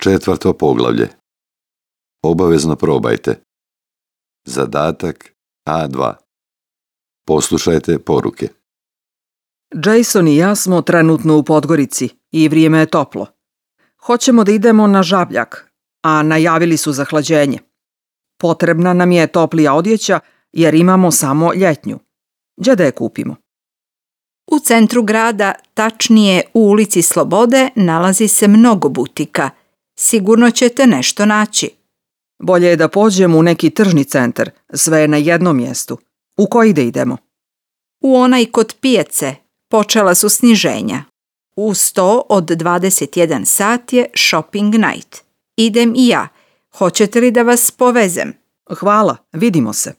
4. poglavlje. Obavezno probajte. Zadatak A2. Poslušajte poruke. Jason i ja smo trenutno u Podgorici i vrijeme je toplo. Hoćemo da idemo na Žabljak, a najavili su zahlađenje. Potrebna nam je toplija odjeća jer imamo samo ljetnju. Gdje da je kupimo? U centru grada, tačnije u ulici Slobode, nalazi se mnogo butika. Sigurno ćete nešto naći. Bolje je da pođemo u neki tržni centar, sve je na jednom mjestu. U koji da idemo? U onaj kod pijace počela su sniženja. Uz to od 21 sat je shopping night. Idem i ja. Hoćete li da vas povezem? Hvala, vidimo se.